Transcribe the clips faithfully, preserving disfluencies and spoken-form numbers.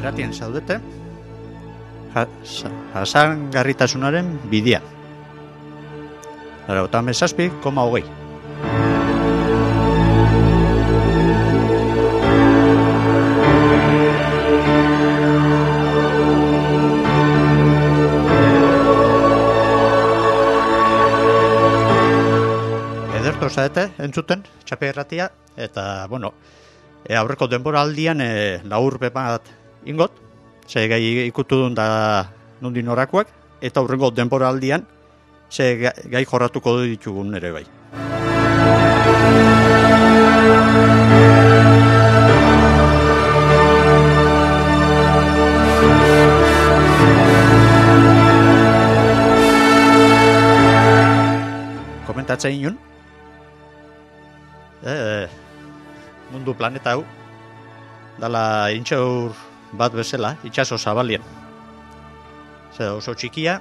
irratien zaudete, jasangarritasunaren bidea. Laurogeita hamazazpi koma hogei. Ederto zaete, entzuten, txape erratia, eta, bueno, e, aurreko denboraldian e, laur bat ingot, ze gai ikutu duen da nondin orakoak, eta aurrengo denboraldian ze gai, gai jorratuko ditugun ere bai. Komentatzen inun, e, mundu planeta hau, dala intxaur bat bezala, itxaso zabalien. Zer oso txikia,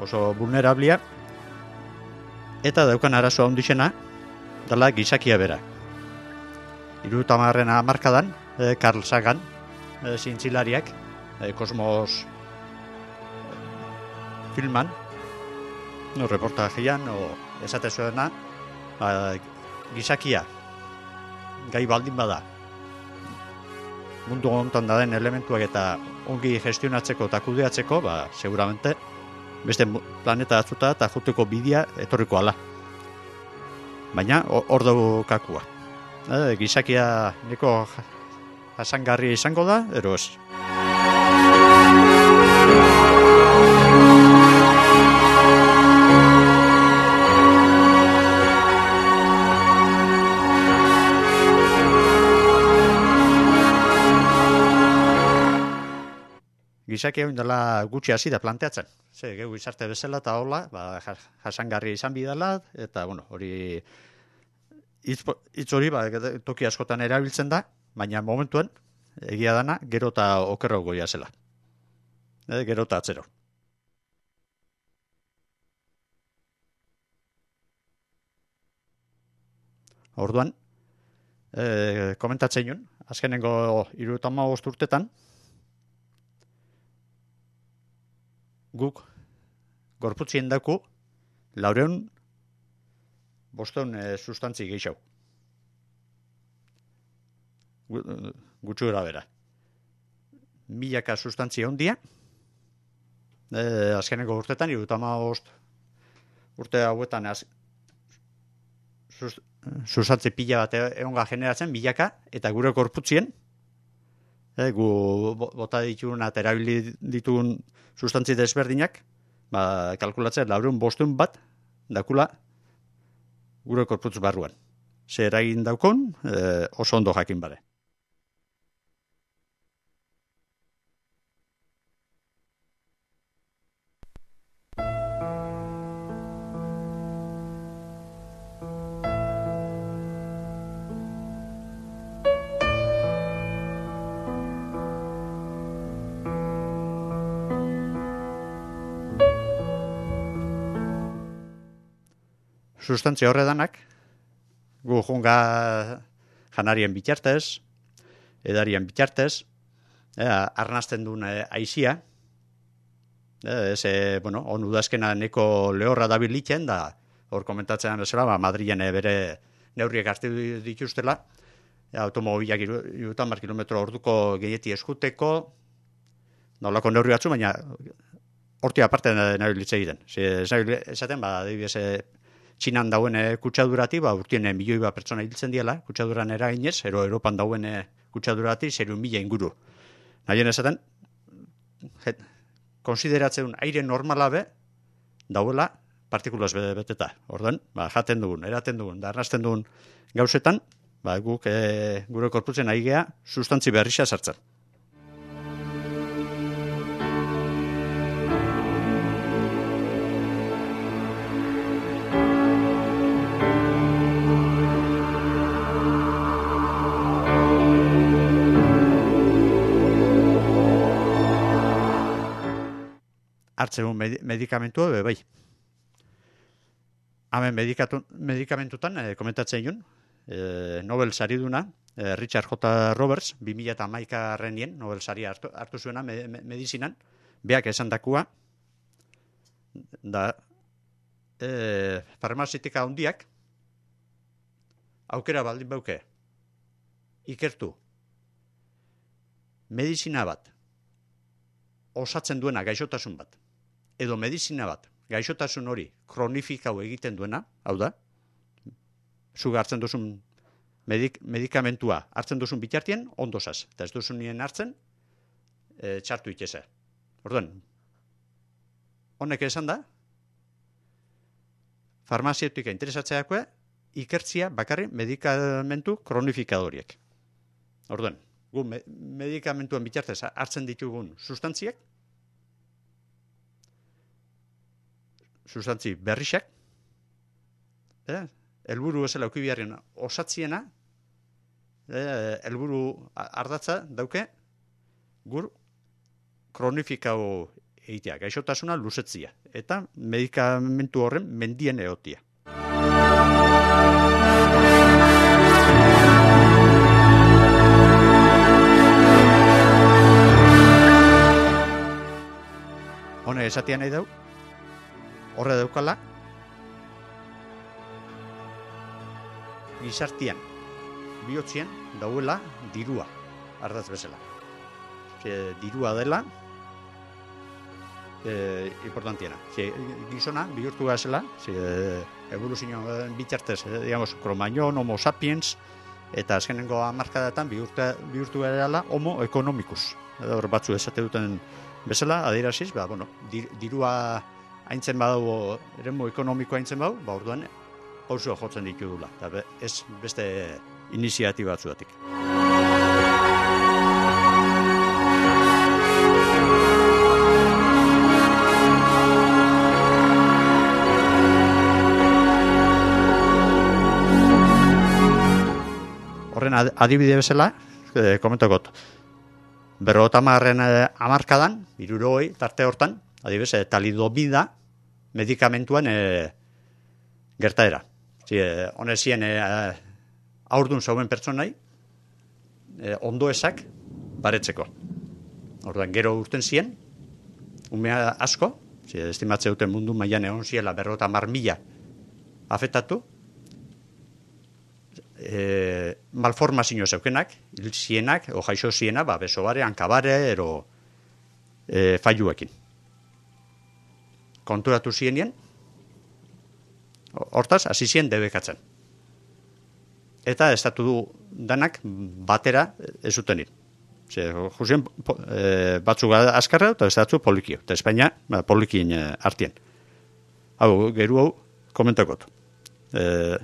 oso vulnerablia, eta daukan arazoa ondixena, dala gizakia bera. Hirurogeita hamarren hamarkadan, e, Carl Sagan, e, zientzilariak, e, Kosmos filman, no, reportajean, o esate zuena, ba, gizakia, gai baldin bada, mundu honetan da den elementuak eta ongi gestionatzeko eta kudeatzeko, ba, seguramente, beste planeta atzuta eta juteko bidea etorriko ala. Baina, hor dugu kakua. E, gizakia neko jasangarri izango da, ero ez. Gizakia dela gutxi hasi da planteatzen. Ze, geu izarte bezala eta hola, ba, jasangarri izan bidala, eta, bueno, hori hitz hori, ba, toki askotan erabiltzen da, baina momentuen, egia dana, gero eta okerro goia zela. E, gero eta atzero. Orduan, e, komentatzen jun, azkenengo hirurogeita hamabost urtetan, guk gorputzien daku laureun bosteun e, sustantzi gehiago. Gutxu gara bera. Milaka sustantzi ondia, e, azkeneko urtetan, hirurogeita hamabost urte hauetan az, sus, sustantzi pila bat egonga generatzen, milaka, eta gure gorputzien, e, gu bota ditugun eta erabili ditugun sustantzi desberdinak, ba, kalkulatzen laureun bosteun bat, dakula gure korputz barruan. Zer eragin daukon, e, oso ondo jakin bare. Sustantzia horredanak, gu junga janarien bitartez, edarien bitartez, e, arnazten duen e, aizia, e, ze, bueno, on udazkena neko lehorra dabilitzen, da, hor komentatzen bezala, ba, Madrilen bere neurriek hartu dituztela, e, automobilak hirurogeita hamar kilometro orduko gehieti eskuteko, nolako neurri batzu, baina horti aparte nabilitze egiten. Esaten, ba, adibidez, Txinan dauen kutsadurati, ba, urtien milioi bat pertsona hiltzen diela, kutsaduran eraginez, ero Europan dauen kutsadurati, zeru mila inguru. Nahien esaten, konsideratzen aire normala be, dauela partikulaz beteta. Orduan, ba, jaten dugun, eraten dugun, da arnazten dugun gauzetan, ba, guk e, gure korputzen aigea sustantzi berrisa sartzen. Hartzegun medikamentua be bai. Hemen medikamentutan e, komentatzen jun, e, Nobel sariduna, eh, Richard J. Roberts, bi mila hamaikagarrenien, Nobel saria hartu, hartu zuena me, me, medizinan, beak esan dakua, da eh, farmazitika handiak aukera baldin bauke ikertu medizina bat osatzen duena gaixotasun bat, edo medizina bat gaixotasun hori kronifikau egiten duena, hau da, zuga hartzen duzun medik, medikamentua hartzen duzun bitartien, ondosaz, eta ez duzun nien hartzen, e, txartu itxeza. Orduan, honek esan da, farmazeutika interesatzeakoa, ikertzia bakarri medikamentu kronifikadoriek. Orduan, gu me, medikamentuen bitartez hartzen ditugun sustantziak, sustantzi berrixak, eh? Helburu ezela eukibiarren osatziena, eh, helburu ardatza dauke, gur kronifikau egitea, gaixotasuna luzetzia, eta medikamentu horren mendien egotia. Hone esatia nahi dau, horre daukala, gizartian, bihotzien, dauela dirua, ardaz bezala. E, dirua dela, e, importantiena. E, gizona, bihurtu gazela, e, evoluzioan bitartez, e, digamos, Cromagnon, Homo sapiens, eta azkenengo hamarkadatan bihurtu, bihurtu garela Homo economicus. Edo hor batzu esate duten bezala, adieraziz, ba, bueno, dir, dirua haintzen badu, eremu ekonomikoa haintzen badu, ba, orduan, pausoa jotzen ditudula, eta ez beste iniziatiba batzuatik. Horren adibide bezala, eh, komentakot, berrotamarren eh, amarkadan, hirurogei tarte hortan, adibidez, eh, talidobida medikamentuan eh, gertaera. Honezien e, aurdun zauen pertsonai e, ondoesak baretzeko. Orduan, gero urten zien, umea asko, zi, estimatze duten mundu mailan egon ziela berrota mar mila afektatu, e, malformazio zeukenak, hil zienak, o jaixo ziena, ba, besobare, hankabare, ero e, failuekin. Konturatu zienien, hortaz, hasi zien debekatzen. Eta estatu du danak batera ez zutenit. Jusien, e, batzuk azkarra eta estatu polikio. Eta Espainia ba, polikien e, artien. Hau, geru hau, komentakot. E,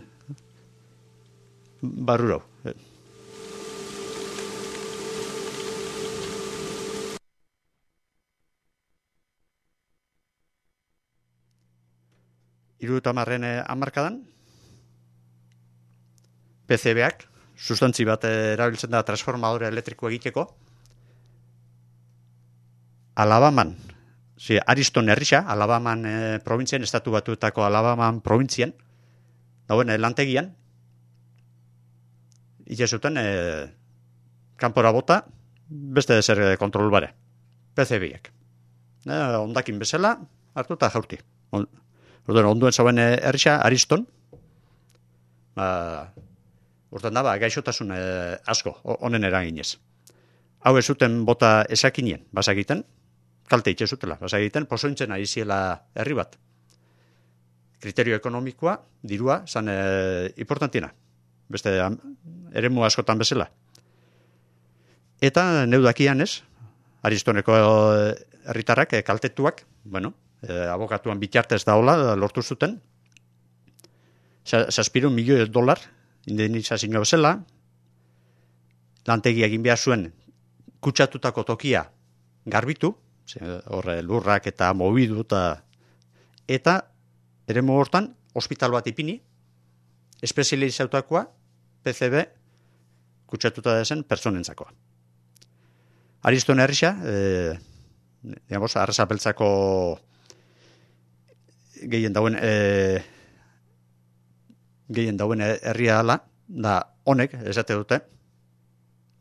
barrurau. E. Irurutamarren hamarkadan, P C B-ak, sustantzi bat erabiltzen da transformadore elektriko egiteko, Alabaman, zi, Ariston herrisa, Alabaman e, provintzien, estatu batuetako Alabaman provintzian, dauen e, lantegian, itxezuten e, kanpora bota, beste zer kontrol bare, P C B-ak. E, ondakin bezala, hartu eta jaurti. On, Orduan, onduen zauen herrisa, Ariston, ba, urten da, ba, gaixotasun e, asko, honen eraginez. Hau ez zuten bota esakinien, basagiten, kalte itxe zutela, basagiten, posointzen ari ziela herri bat. Kriterio ekonomikoa, dirua, zan e, importantiena, beste eremu askotan bezala. Eta neudakian ez, Aristoneko herritarrak, e, kaltetuak, bueno, E, abokatuan bitartez daola lortu zuten zazpirun milioi dolar indemnizazio bezala, lantegi egin behar zuen kutsatutako tokia garbitu, horre lurrak eta mobidu eta eta eremu hortan ospital bat ipini espezializautakoa P C B kutsatuta dezen pertsonentzakoa. Ariston herrisa, e, digamos, arrasapeltzako gehien dauen e, gehien dauen herria ala, da honek, esate dute,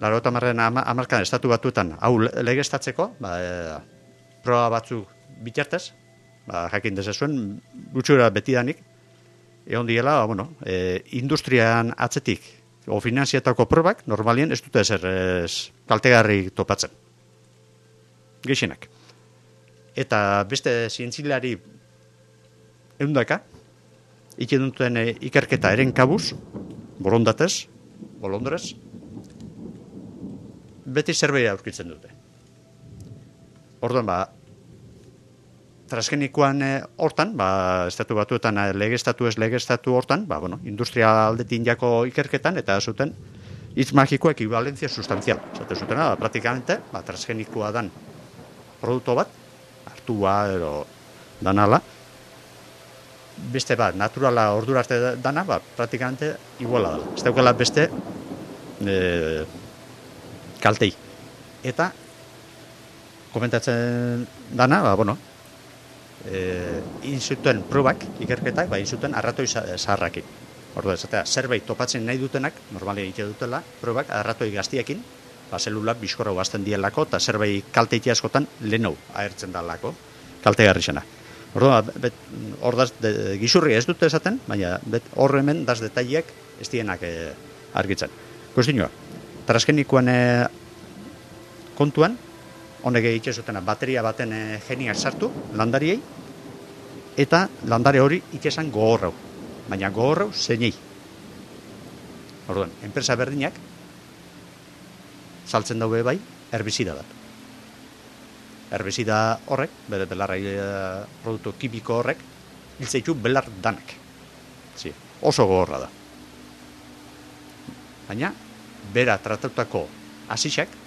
laurogeita hamarren hamarkadan estatu batuetan hau legeztatzeko, ba, e, proba batzuk bitartez, ba, jakin dezazuen, gutxura betidanik, egon diela, ba, bueno, e, industrian atzetik, o finanziatako probak, normalien ez dute ezer ez, kaltegarri topatzen. Gehienak. Eta beste zientzilari eundaka, iken duten e, ikerketa eren kabuz, borondatez, bolondrez, beti zerbait aurkitzen dute. Orduan, ba, transgenikoan e, hortan, ba, estatu batuetan e, legeztatu ez legeztatu hortan, ba, bueno, industria aldetin jako ikerketan, eta zuten hitz magiko ekivalentzia sustanzial. Zate zutena, ba, praktikamente, ba, transgenikoa dan produktu bat, hartua edo danala, beste bat, naturala ordura arte dana, ba, praktikamente iguala dela. Ez daukala beste e, kaltei. Eta komentatzen dana, ba, bueno, e, inzuten probak, ikerketak, ba, inzuten arratoi zaharrakin. Ordu esatea, zerbait topatzen nahi dutenak, normalia egite dutela, probak arratoi gaztiekin, ba, zelulak bizkorra guazten dielako, eta zerbait kalteiti askotan lehenou ahertzen dalako, kaltegarri zena. Ordu, hor gizurri ez dute esaten, baina hor hemen daz detaileak ez dienak e, argitzen. Kustinoa, transgenikoan e, kontuan, honek egite zutena, bateria baten e, geniak sartu, landariei, eta landare hori itxesan gogorrau, baina gogorrau zeinei. Orduan, enpresa berdinak, saltzen daube bai, herbizida da. Herbizida horrek, bere belarra produktu kimiko horrek, hiltzeitu belar danak. Zi, oso gogorra da. Baina, bera tratatutako hasixak,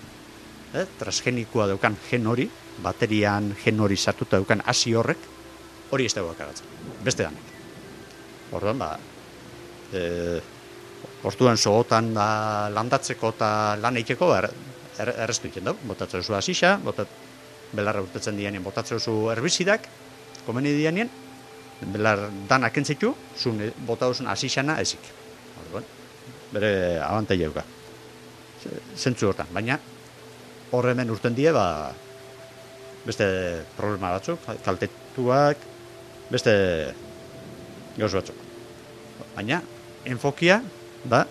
eh, transgenikoa daukan gen hori, baterian gen hori sartuta daukan hasi horrek, hori ez dago akagatzen. Beste danak. Orduan, ba, e, orduan sogotan da, landatzeko eta lan eiteko er, er, erreztu egiten dau. Botatzen zu hasixa, botat, belarra urtetzen dianien, botatzen zu herbizidak, komeni dianien, belar danak entzitu, zun botazun hasixana ezik. Orduan, bere abantaila euka. Zentzu hortan, baina hor hemen urten die, ba, beste problema batzuk, kaltetuak, beste gauz batzuk. Baina, enfokia da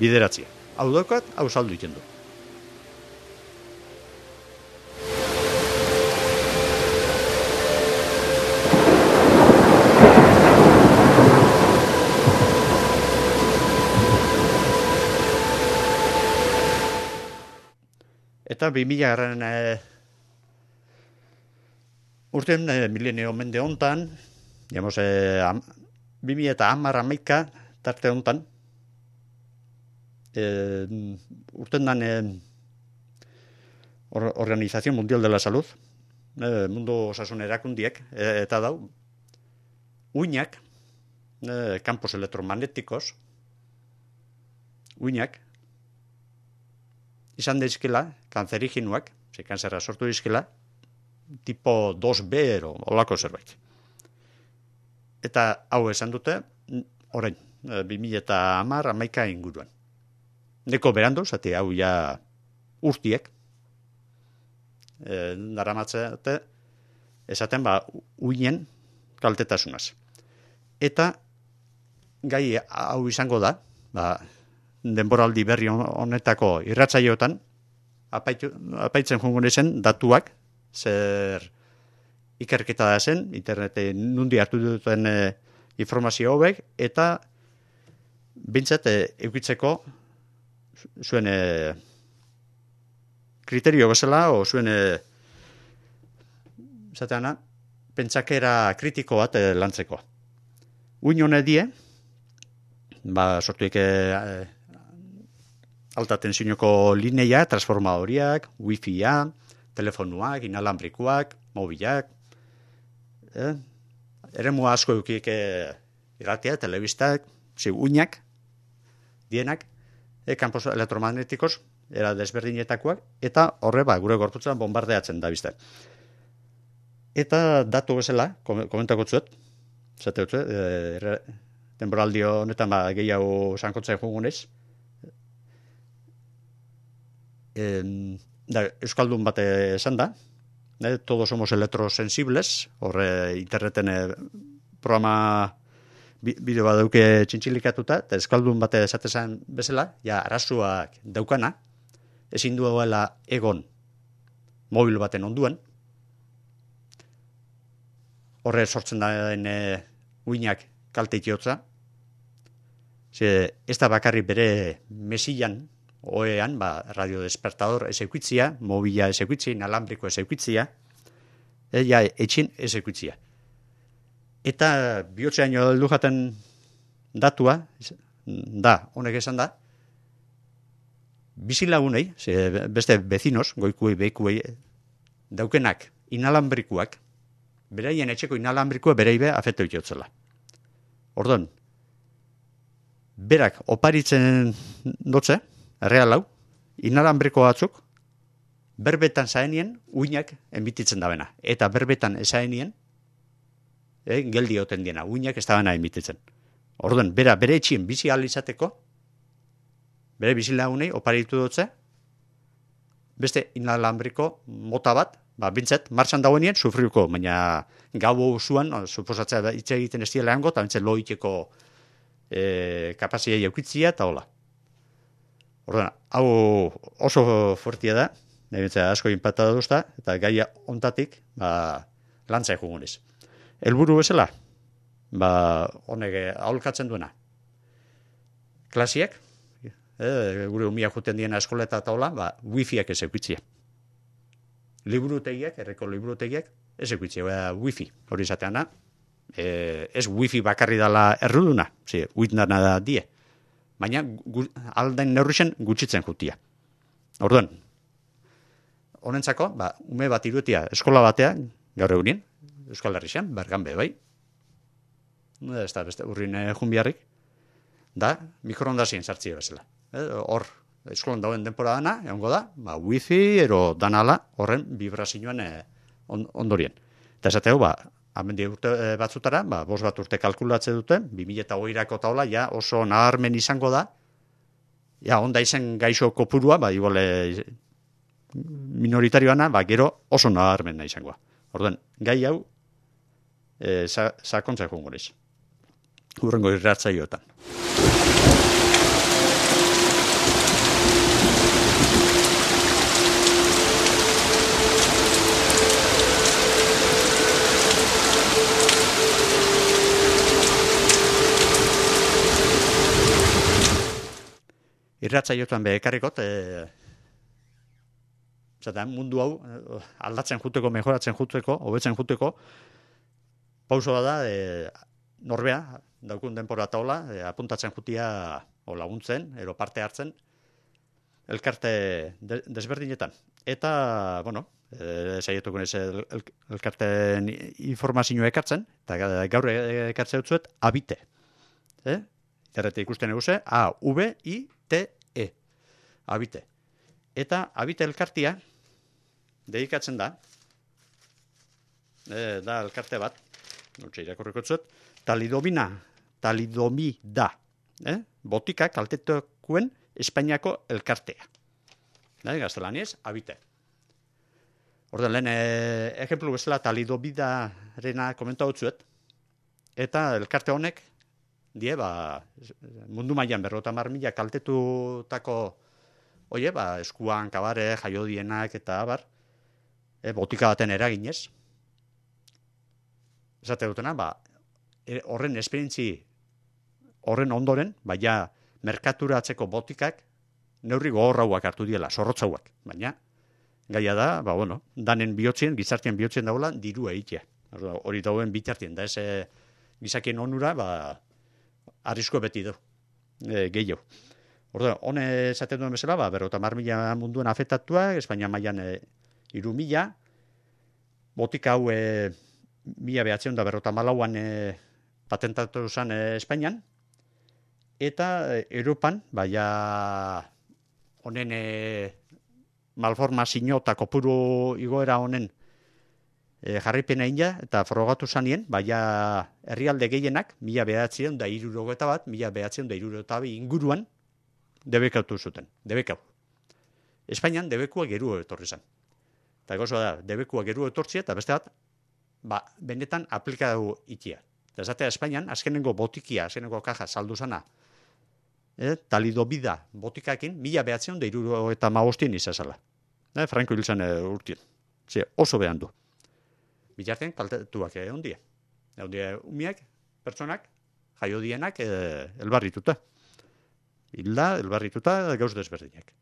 bideratzia. Hau daukat, hau saldu egiten du. Eta bi mila garren e, urten e, milenio mende hontan, digamos, e, am, bi mila eta hamar hamaika tarte hontan, e, urten dan e, or, Organización Mundial de la Salud, e, mundu osasun erakundiek, e, eta dau, uinak, e, campos elektromagnetikos, uinak, izan daizkela, kanzeriginuak, ze kanzerra sortu daizkela, tipo dos B ero, olako zerbait. Eta hau esan dute, orain, bi mila eta hamar hamaika inguruan. Neko berandu, zati hau ja urtiek, e, daramatzete, esaten ba, uinen kaltetasunaz. Eta gai hau izango da, ba, denboraldi berri honetako irratsaioetan apaitu, apaitzen jongo zen datuak, zer ikerketa da zen, interneten nundi hartu duten e, informazio hobek, eta bintzat e, eukitzeko zuen e, kriterio bezala, o zuen e, zateana, pentsakera kritiko bat e, lantzeko. Uin hone die, ba, sortuik e, alta tensiuneko lineia, transformadoriak, wifi-a, telefonuak, inalambrikuak, mobilak, eh? eremu asko eukik eh, irratia, telebistak, zi, uinak, dienak, eh, kampos elektromagnetikos, era desberdinetakoak, eta horre, ba, gure gorputzan bombardeatzen da bizte. Eta datu bezala, komentako zuet, zate dut, eh, temporaldio honetan ba, gehiago sankotzea jugunez, E, da, Euskaldun bat esan da, e, todos somos electrosensibles, horre interneten e, programa bideo bat dauke txintxilikatuta, eta Euskaldun bat esatezan bezala, ja, arazoak daukana, ezin duela egon mobil baten onduan, horre sortzen da e, uinak kalte itiotza, ze ez da bakarri bere mesillan, oean, ba, radiodespertador ez eukitzia, mobila ez eukitzia, inalambriko ez eukitzia, e, ja, etxin ez eukitzia. Eta bihotzean heldu jaten datua, da, honek esan da, bizilagunei, ze beste bezinos, goikuei, beikuei, daukenak inalambrikuak, beraien etxeko inalambrikua bereibe afeto itotzela. Ordon, berak oparitzen dotze, erreal hau, inalambriko batzuk, berbetan zaenien, uinak enbititzen dabena. Eta berbetan ezaenien, eh, geldi oten diena, uinak ez dabena enbititzen. Orduan, bera, bere etxien bizi alizateko, bere bizilagunei oparitu dutze, beste inalambriko mota bat, ba, bintzet, martxan dagoenien, sufriuko, baina gau zuan, suposatzea hitz egiten ez diela hango, eta bintzet loiteko e, kapazia jaukitzia, eta hola. Orduan, hau oso fuertia da, nebintzea asko impactada duzta, eta gaia ontatik, ba, lantza egugunez. Helburu bezala, ba, honek aholkatzen duena. Klasiak, eh, gure umiak juten diena eskoleta eta hola, ba, wifiak ez eukitzia. Liburutegiak, erreko liburutegiak, ez eukitzia, ba, wifi, hori izateana, eh, ez wifi bakarri dala erruduna, zi, uitnana da die. Baina gu, aldain neurrixen gutxitzen jutia. Orduan, honentzako, ba, ume bat irutia eskola batean, gaur egunien, Euskal Herrixen, Berganbe, bai. Ez da, beste, urrin eh, junbiarrik, da, mikroondazien sartzia bezala. Eh, hor, eskolan dauen denpora dana, egongo da, ba, wifi, ero danala, horren vibrazioan eh, on, ondorien. Eta esateu, ba, amendi urte batzutara, ba, bost bat urte kalkulatze dute, bi mila hogeirako taula, ja oso naharmen izango da, ja onda izen gaixo kopurua, ba, igual minoritarioana, ba, gero oso naharmen izangoa. Orduan, gai hau, e, sa, sakontza jungorez. Urrengo irratzaioetan. Irratzaioetan bekarrikot, e, zaten, mundu hau aldatzen juteko, mejoratzen juteko, hobetzen juteko, pausoa da, e, norbea, daukun denpora taula, e, apuntatzen jutia o laguntzen, ero parte hartzen, elkarte de, desberdinetan. Eta, bueno, e, saietuko nez el, el, elkarteen informazioa ekartzen, eta gaur ekartzen dutzuet, abite. Eh? Errete ikusten eguze, A, V, I, T, E. Abite. Eta abite elkartia, dedikatzen da, e, da elkarte bat, nutxe irakurriko txut, talidomina, talidomida, eh? Botika kaltetukuen Espainiako elkartea. Da, gaztelaniez, abite. Orda, lehen, e, ejemplu bezala talidomidarena komentau txuet, eta elkarte honek, die, ba, mundu mailan berrota mar mila kaltetutako, oie, ba, eskuan, kabare, jaiodienak eta abar, e, botika baten eraginez. Esate dutena, ba, e, horren esperientzi, horren ondoren, baina merkaturatzeko botikak neurri gogorrauak hartu diela, zorrotzauak. Baina, gaia da, ba, bueno, danen bihotzien, gizartien bihotzien daula, dirua egitea. Hori dauen bitartien, da ez e, gizakien onura, ba, arrisko beti du, e, gehiago. Orduan, hone esaten duen bezala, ba, berrota mar mila munduan afektatua, Espainia mailan e, iru mila, botika hau e, mila behatzen da berrota malauan e, patentatu zen e, Espainian, eta e, Europan, baina honen e, malformazio eta kopuru igoera honen e, jarripena ina, eta frogatu zanien, baina herrialde gehienak, mila behatzen da irurogeta bat, mila behatzen da irurogeta bat inguruan, debekatu zuten, debekau. Espainian debekua geru etorri zen. Eta gozoa da, debekua geru etortzia, eta beste bat, ba, benetan aplikatu itia. Eta esatea Espainian, azkenengo botikia, azkenengo kaja saldu zana, eh, talidobida botikakin, mila behatzion da iruro eta maostien izazala. Eh, Franko hil zen e, urtien. Ze, oso behan du. Bitartean kaltetuak egon die. Egon die umiak, pertsonak, jaio dienak, e, elbarrituta. Hilda, elbarrituta, gauz desberdinak.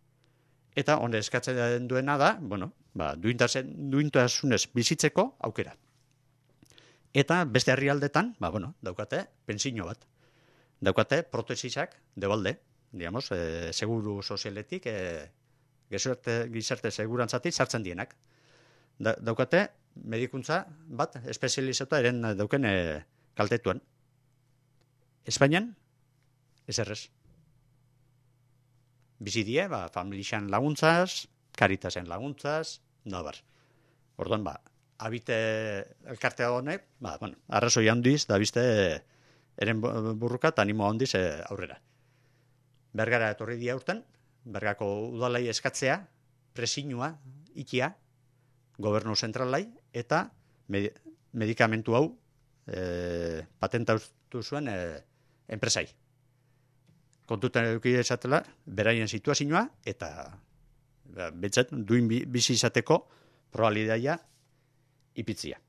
Eta hone eskatzen duena da, bueno, ba, duintasunez bizitzeko aukera. Eta beste herrialdetan, ba, bueno, daukate pentsio bat. Daukate protesisak debalde, digamos, e, seguru sozialetik, e, gizarte, gizarte segurantzatik sartzen dienak. Da, daukate medikuntza bat espezializatuta eren dauken e, kaltetuan. Espainian, ez errez. Bizi die, ba, familixan laguntzaz, karitasen laguntzaz, nabar. Orduan, ba, habite elkartea honek, ba, bueno, arrazoi handiz, da bizte, eren burruka eta animo handiz e, aurrera. Bergara etorri dia urten, Bergako udalai eskatzea, presinua, ikia, gobernu zentralai, eta med medikamentu hau e, patentatu zuen e, enpresai. Kontutan eduki esatela, beraien situazioa, eta ba, betzat, duin bizi izateko probabilidadia ipitzia.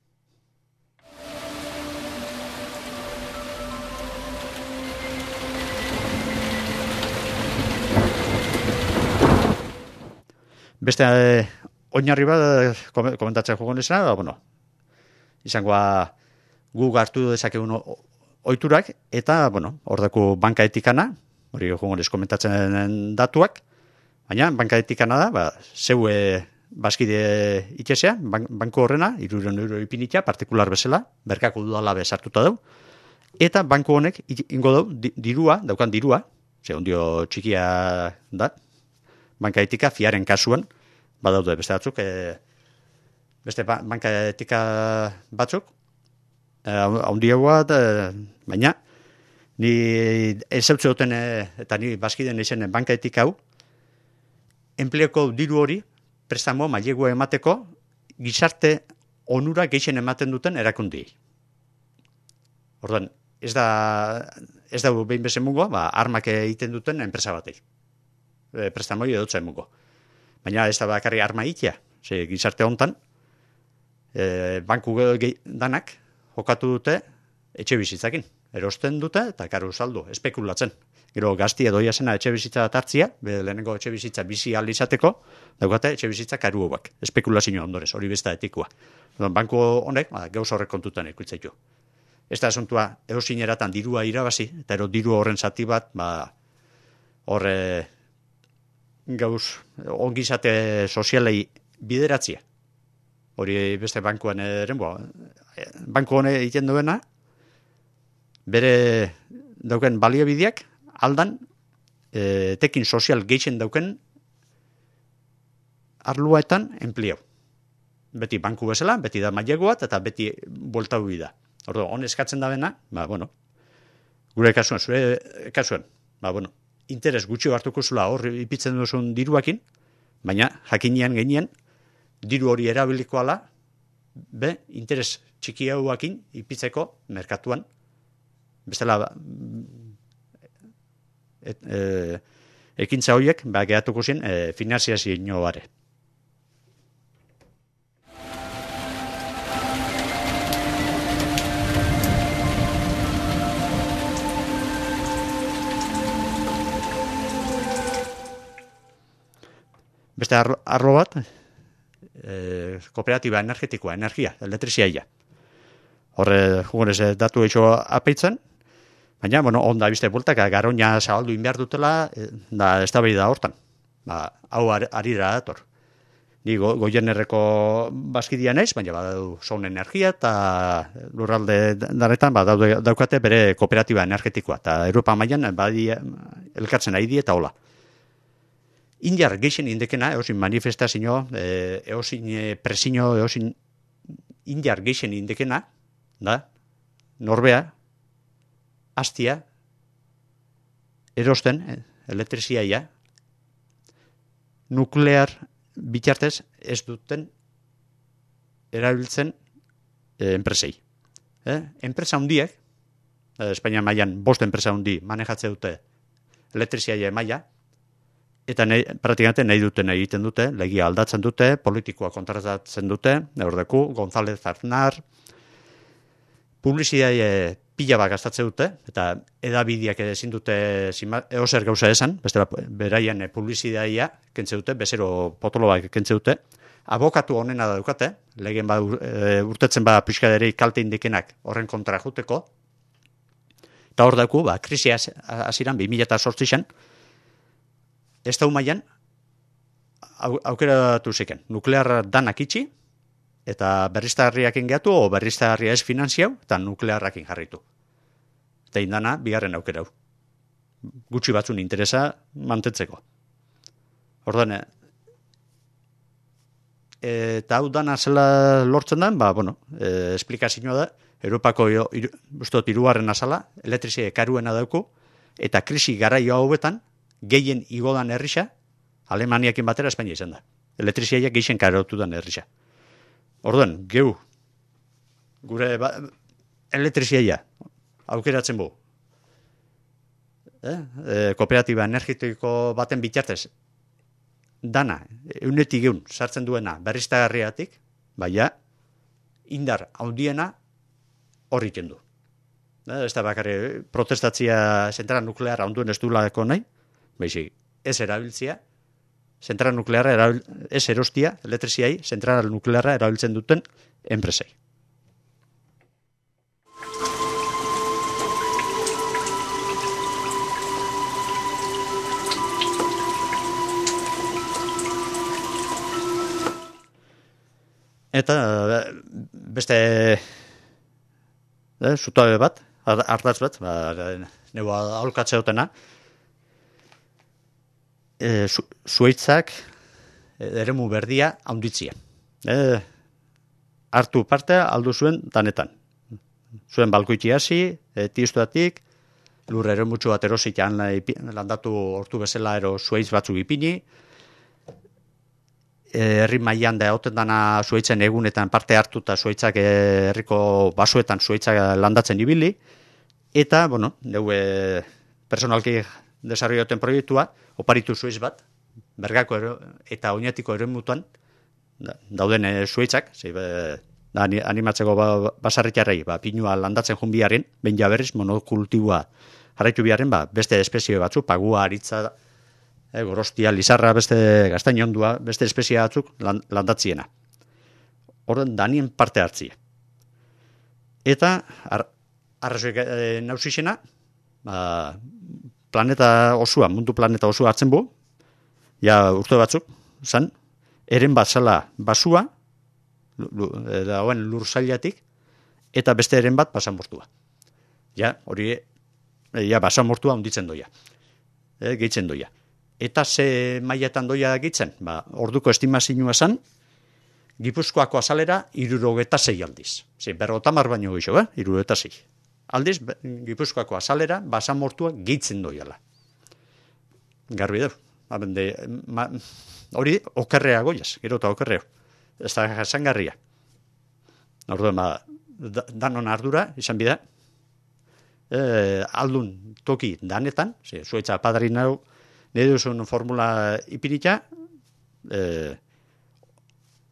Beste eh, oinarri bat komentatzen jogon esena, da, bueno, izangoa guk hartu dezakegun oiturak, eta, bueno, hordako banka etikana, hori jogonez komentatzen datuak, baina banka etikana da, ba, zeu e, bazkide itxesea, ban, banko horrena, iruren euro ipinitia, partikular bezala, berkako dudala bezartuta dau, eta banko honek ingo dau, dirua, daukan dirua, ze ondio txikia da, banka etika fiaren kasuan, badaude beste batzuk, e, beste ba, banka etika batzuk, haundiagoa, e, baina, ni ezautze duten, e, eta ni bazkiden izen banka etika hau, enpleoko diru hori, prestamo mailegua emateko, gizarte onura gehien ematen duten erakundiei. Orduan, ez da, ez da behin bezen mungo, ba, armak egiten duten enpresa batei. E, prestamoi edotza emungo. Baina ez da bakarri arma ikia, ze gizarte hontan, e, banku danak jokatu dute etxe bizitzakin. Erosten dute eta karu saldu, espekulatzen. Gero gazti edoia zena etxe bizitza tartzia, lehenengo etxe bizitza bizi alizateko, daukate etxe bizitza karu hauak, espekulazio ondorez, hori besta etikoa. Banku honek, ba, gauz horrek kontutan ikutzaitu. Ez da asuntua, eosineratan dirua irabazi, eta ero diru horren zati bat, ba, horre gauz ongizate sozialei bideratzia. Hori beste bankuan eren, bo, banku hone egiten duena, bere dauken baliabideak, aldan, e, tekin sozial geixen dauken arluaetan enpliau. Beti banku bezala, beti da mailegoat, eta beti buelta hui da. Ordo, hon eskatzen da bena, ba, bueno, gure kasuan, zure kasuan, ba, bueno, interes gutxi hartuko zula hor ipitzen duzun diruakin, baina jakinean genien, diru hori erabilikoala, be, interes txiki hauakin ipitzeko merkatuan, bestela, et, e, ekintza horiek, ba, gehatuko zen, e, finanziazio bare. Beste arlo, arlo bat, e, kooperatiba energetikoa, energia, elektrizia. Horre, jugonez, datu eixo apeitzen, baina, bueno, onda bizte bultaka, garoña zabaldu inbehar dutela, da, ez da behi da hortan. Ba, hau ar, arira dator. Ni go, goienerreko bazkidia naiz, baina badau zaun energia, eta lurralde danetan, ba, daude, daukate bere kooperatiba energetikoa, eta Europa mailan badi elkartzen ari die eta hola. Indiar geixen indekena, eosin manifestazio, eosin presio, eosin indiar geixen indekena, da, norbea, hastia, erosten, elektriziaia, nuklear bitartez ez duten erabiltzen e, enpresei. Eh? Enpresa hundiek, e, Espainia mailan bost enpresa hundi manejatze dute elektriziaia maila, eta nahi, praktikamente nahi duten egiten dute, legia aldatzen dute, politikoa kontratatzen dute, ordeku, González Aznar, publizidaie pila bat gastatzen dute, eta edabideak ezin dute eozer gauza esan, bestela beraien publizidaia kentze dute, bezero potolo bat kentze dute, abokatu honena da dukate, legen ba, e, urtetzen ba pixkaderei kalte indikenak horren kontra juteko, eta hor dauku, ba, krisia hasieran bi mila zortzian, ez da humaian, au, aukeratu ziken, nuklearra danak itxi, eta berriztagarriakin gehatu, o berriztagarria ez finanziau, eta nuklearrakin jarritu. Eta indana, bigarren aukera hau. Gutxi batzun interesa mantentzeko. Ordan, eta hau dana zela lortzen da, ba, bueno, e, esplikazioa da, Europako iru, ustot, irugarren azala, elektrizia karuena dauku, eta krisi garaio hauetan, gehien igodan herrisa, Alemaniakin batera Espainia izan da. Elektriziaiak gehien karotu dan herrisa. Orduan, geu, gure ba, elektriziaia aukeratzen bu. Eh? E, kooperatiba energetiko baten bitartez, dana, eunetik geun, sartzen duena berriztagarriatik, baina, indar handiena horri kendu. Eh? Ez da bakarri protestatzia zentral nuklearra onduen ez duelako nahi, baizik, ez erabiltzia, zentral nuklearra erabil, ez erostia, elektriziai, zentral nuklearra erabiltzen duten enpresei. Eta beste eh, zutabe bat, ardatz bat, ba, neu aholkatze dutena, E, su, zuaitzak eremu berdia haunditzia. E, hartu parte aldu zuen danetan. Zuen balkoitzi hasi, e, tistuatik, lur eremutxu bat erositan landatu hortu bezala ero zuaitz batzuk ipini, herri mailan da hauten dana zuaitzen egunetan parte hartu eta zuaitzak herriko basuetan zuaitzak landatzen ibili, eta, bueno, neu e, personalki desarroioten proiektua, oparitu zuiz bat, bergako ero, eta oinatiko eremutuan, da, dauden e, zuitzak, zei, be, da, animatzeko ba, basarritarrei, ba, pinua landatzen jun biharren, behin jaberriz, monokultiboa jarraitu biharren, ba, beste espezie batzu, pagua, aritza, e, gorostia, lizarra, beste gaztainondua, beste espezie batzuk landatziena. Horren, danien parte hartzia. Eta, ar, arrazoik e, nausixena, ba, planeta osua, mundu planeta osua hartzen bu, ja urte batzuk, zan, eren bat zala basua, dagoen lur zailatik, eta beste eren bat basamortua. Ja, hori, ja, basamortua onditzen doia, e, gehitzen doia. Eta ze mailetan doia gehitzen, ba, orduko estimazioa zan, Gipuzkoako azalera irurogeta zei aldiz. Zer, berrotamar baino gixo, eh? irurogeta zei. Aldiz, Gipuzkoako azalera basamortua gehitzen doiala. Garbi dau. Ma, hori okerrea goiaz, gero eta okerreo. Ez da jasangarria. Orduan, ba, da, danon ardura, izan bida, e, aldun toki danetan, ze, zuetza padarin hau, nire duzun formula ipinita, e,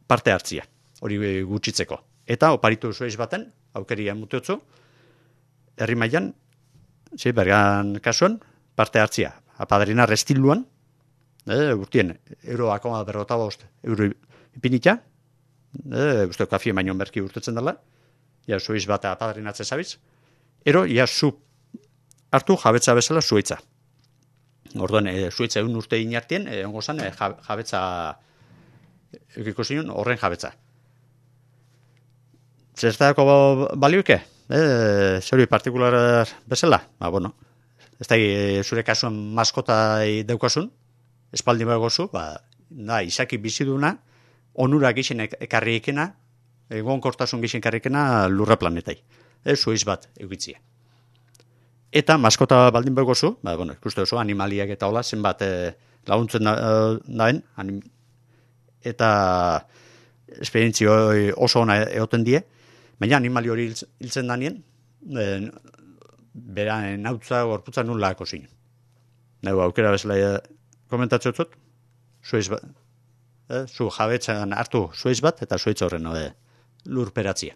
parte hartzia, hori gutxitzeko. Eta oparitu zueiz baten, aukeria muteotzu, herri mailan, zi, bergan kasuan, parte hartzia. Apadrina restiluan, eh, urtien, euro akoma berrota bost, euro ipinita, eh, uste kafie baino merki urtetzen dela, ja zuiz bat apadrinatzen zabiz, ero, ja zu hartu jabetza bezala zuitza. Orduan, e, zuitza egun urte inartien, e, ongo zan, e, jabetza, ekiko zinun, horren jabetza. Zertako balioike? E, Zeri partikular bezala? Ba, bueno, ez da, e, zure kasuan maskota daukasun, espaldi bagozu, ba, da, izaki biziduna, onura gixen ekarri ekena, egon kortasun gixen ekarri ekena lurra planetai. E, zuiz bat eukitzia. Eta maskota baldin begozu, ba, bueno, ikuste oso animaliak eta hola, zenbat e, laguntzen daen, eta esperientzio oso ona egoten die, baina animali hori hiltzen danien, bera nautza gorputza nula kozin. Nago aukera bezala komentatzen zut, zuiz bat, eh, zu jabetzan hartu zuiz bat, eta zuitz horren eh, lurperatzia.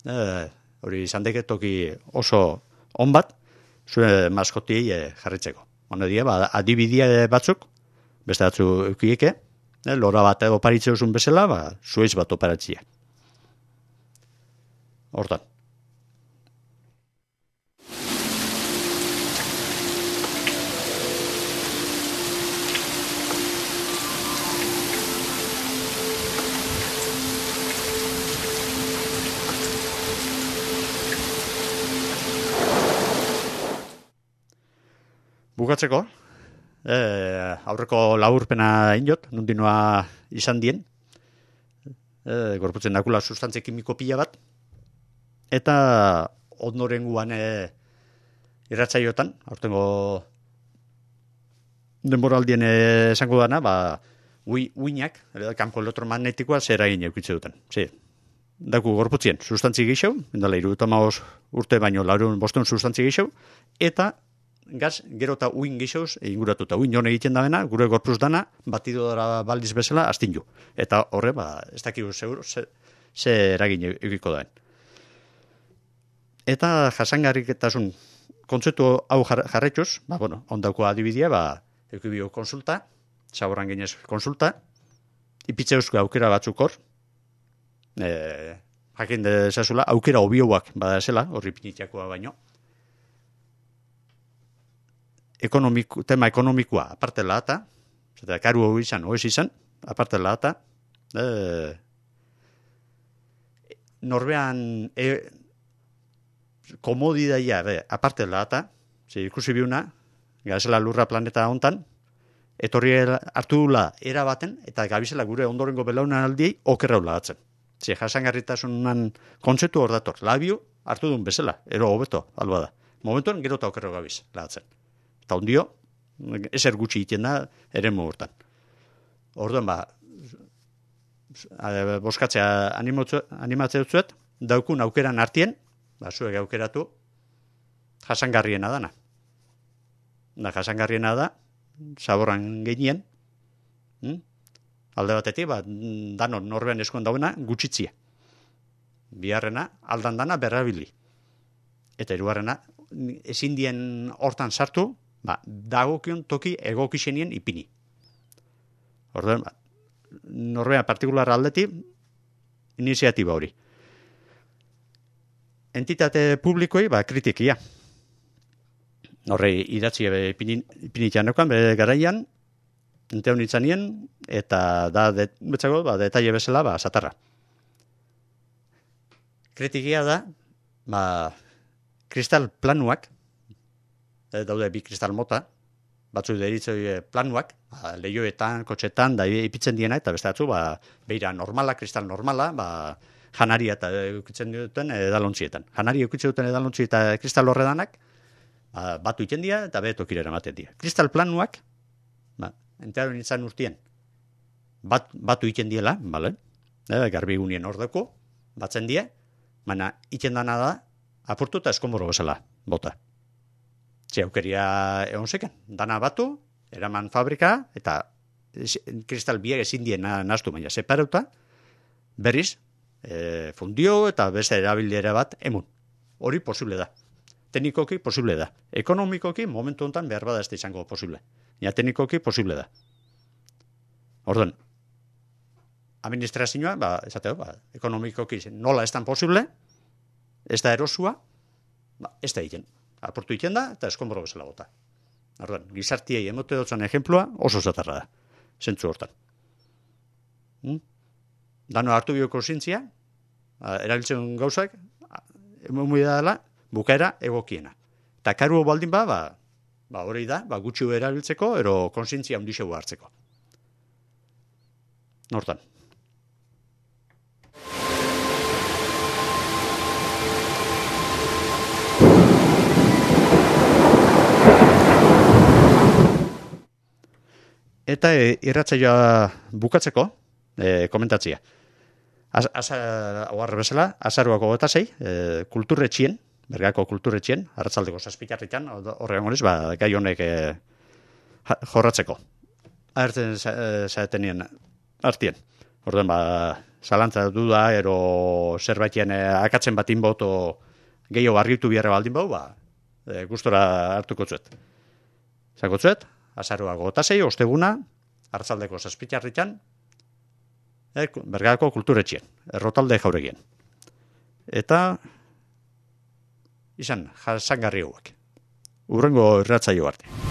Eh, hori izan deke toki oso on bat, zure maskoti eh, jarritzeko. Hone die, ba, adibidia batzuk, beste batzu eukieke, eh, lora bat oparitzea usun bezala, ba, zuiz bat operatzia. Hortan. Bukatzeko, eh, aurreko laburpena inot, nundinoa izan dien, eh, gorputzen dakula sustantze kimiko pila bat, eta ondorenguan eh, irratsaiotan, aurtengo denboraldien eh, esango dana, ba, ui, uinak, kanpo elektromagnetikoa zer egin eukitze duten. Zer, daku gorputzien sustantzi gehiago, indala irudutamaos urte baino laurun bostun sustantzi gehiago, eta gaz, gero eta uin gixauz inguratuta. Uin hone egiten da bena, gure gorpuz dana, batidora baldiz bezala, astin ju. Eta horre, ba, ez dakigu seguro, ze, ze eragin egiko daen. Eta jasangarriketasun kontzeptu hau jarretxuz, ba, bueno, ondauko adibidia, ba, eukibio konsulta, zaborran ginez konsulta, ipitzeuzko aukera batzuk hor, e, jakin dezazula, aukera obioak badazela, horri pinitiakoa baino, Ekonomiko, tema ekonomikoa aparte lata, eta karu hori izan, hori izan, aparte lata, eh, norbean e, komodidaia, be, aparte lata, ze ikusi biuna, gazela lurra planeta hontan, etorri hartu dula erabaten, eta gabizela gure ondorengo belaunan aldiei okerra lagatzen. Ze jasangarritasunan kontzeptu hor dator, labio hartu duen bezala, ero hobeto, alba da. Momentuan gero eta okerra gabiz lagatzen. Eta ondio, ezer gutxi egiten da, ere hortan. Orduan, ba, boskatzea animatzea dutzuet, daukun aukeran artien, ba, zuek aukeratu, jasangarriena dana. Da, jasangarriena da, zaborran geinien, hm? Alde batetik, ba, danon norbean eskuan dauena, gutxitzia. Biharrena, aldan dana berrabili. Eta hirugarrena, ezin dien hortan sartu, ba, dagokion toki egokixenien ipini. Orduan, ba, norbean partikular aldetik, iniziatiba hori. Entitate publikoi, ba, kritikia. Horre, idatzi ipinitian neukan, bere garaian, ente honitzanien, eta da, de, betzago, ba, detaile bezala, ba, satarra. Kritikia da, ba, kristal planuak, daude bi kristal mota, batzuk deritzoi planuak, ba, lehioetan, kotxetan, da ipitzen diena, eta beste batzu, ba, beira normala, kristal normala, ba, janaria eta eukitzen duten edalontzietan. Janaria eukitzen duten edalontzi eta kristal horredanak, ba, batu iten dira, eta beto kirera ematen dira. Kristal planuak, ba, entearen izan urtien, bat, batu iten diela, bale? E, garbigunien hor dugu, batzen die, baina iten dana da, apurtu eta eskomoro bezala, bota. Ze aukeria egon zeken, dana batu, eraman fabrika, eta kristal biak ezin dien naztu, baina separauta, berriz, e, fundio eta beste erabilera bat emun. Hori posible da. Teknikoki posible da. Ekonomikoki momentu honetan behar bada ez da izango posible. Ja, teknikoki posible da. Orduan, administrazioa, ba, esateo, ba, ekonomikoki nola ez dan posible, ez da erosua, ba, ez da egiten. Aportu egiten da, eta eskonboro bezala bota. Orduan, gizartiei emote dutzen ejemplua oso zatarra da. Zentzu hortan. Hmm? Dano hartu bioko zintzia, erabiltzen gauzak, emomui dela, bukaera egokiena. Eta karu baldin ba, ba, ba hori da, ba, gutxi erabiltzeko, ero konsientzia handixegu hartzeko. Hortan. Eta e, irratsaioa bukatzeko, e, komentatzia. Az, az, oarre bezala, azaruako gota zei, e, kulturretxien, Bergako kulturretxien, arratzaldeko zazpitarritan, horrean horiz, ba, gai honek e, jorratzeko. Ahertzen zaetenien artien. Orduan, ba, zalantza duda, ero zerbaitien e, akatzen bat inboto gehiago argitu biharra baldin bau, ba, e, gustora hartuko zuet. Zako zuet, azaruako gota zei, osteguna, arratzaldeko zazpitarritan, e, Bergako kulturretxien, errotalde jauregien. Eta izan, jasangarri hauek. Urrengo irratzaio arte.